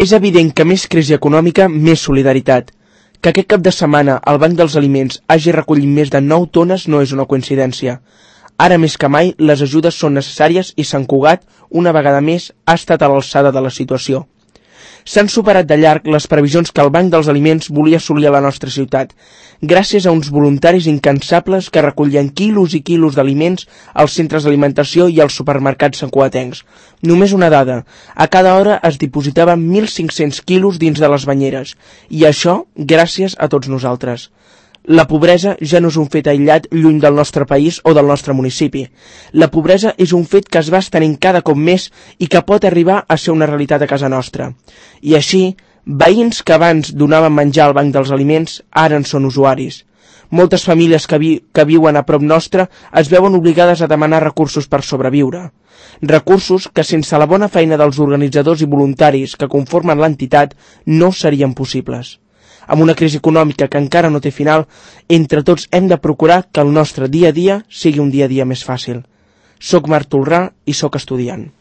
És evident que més crisi econòmica, més solidaritat. Que aquest cap de setmana el Banc dels Aliments hagi recollit més de 9 tones no és una coincidència. Ara més que mai, les ajudes són necessàries i Sant Cugat, una vegada més, ha estat a l'alçada de la situació. S'han superat de llarg les previsions que el Banc dels Aliments volia assolir a la nostra ciutat, gràcies a uns voluntaris incansables que recollien quilos i quilos d'aliments als centres d'alimentació i als supermercats santcugatencs. Només una dada, a cada hora es dipositaven 1.500 quilos dins de les banyeres, i això gràcies a tots nosaltres. La pobresa ja no és un fet aïllat lluny del nostre país o del nostre municipi. La pobresa és un fet que es va estenent cada cop més i que pot arribar a ser una realitat a casa nostra. I així, veïns que abans donaven menjar al Banc dels Aliments ara en són usuaris. Moltes famílies que viuen a prop nostre es veuen obligades a demanar recursos per sobreviure. Recursos que sense la bona feina dels organitzadors i voluntaris que conformen l'entitat no serien possibles. Amb una crisi econòmica que encara no té final, entre tots hem de procurar que el nostre dia a dia sigui un dia a dia més fàcil. Soc Marc Tolrà i soc estudiant.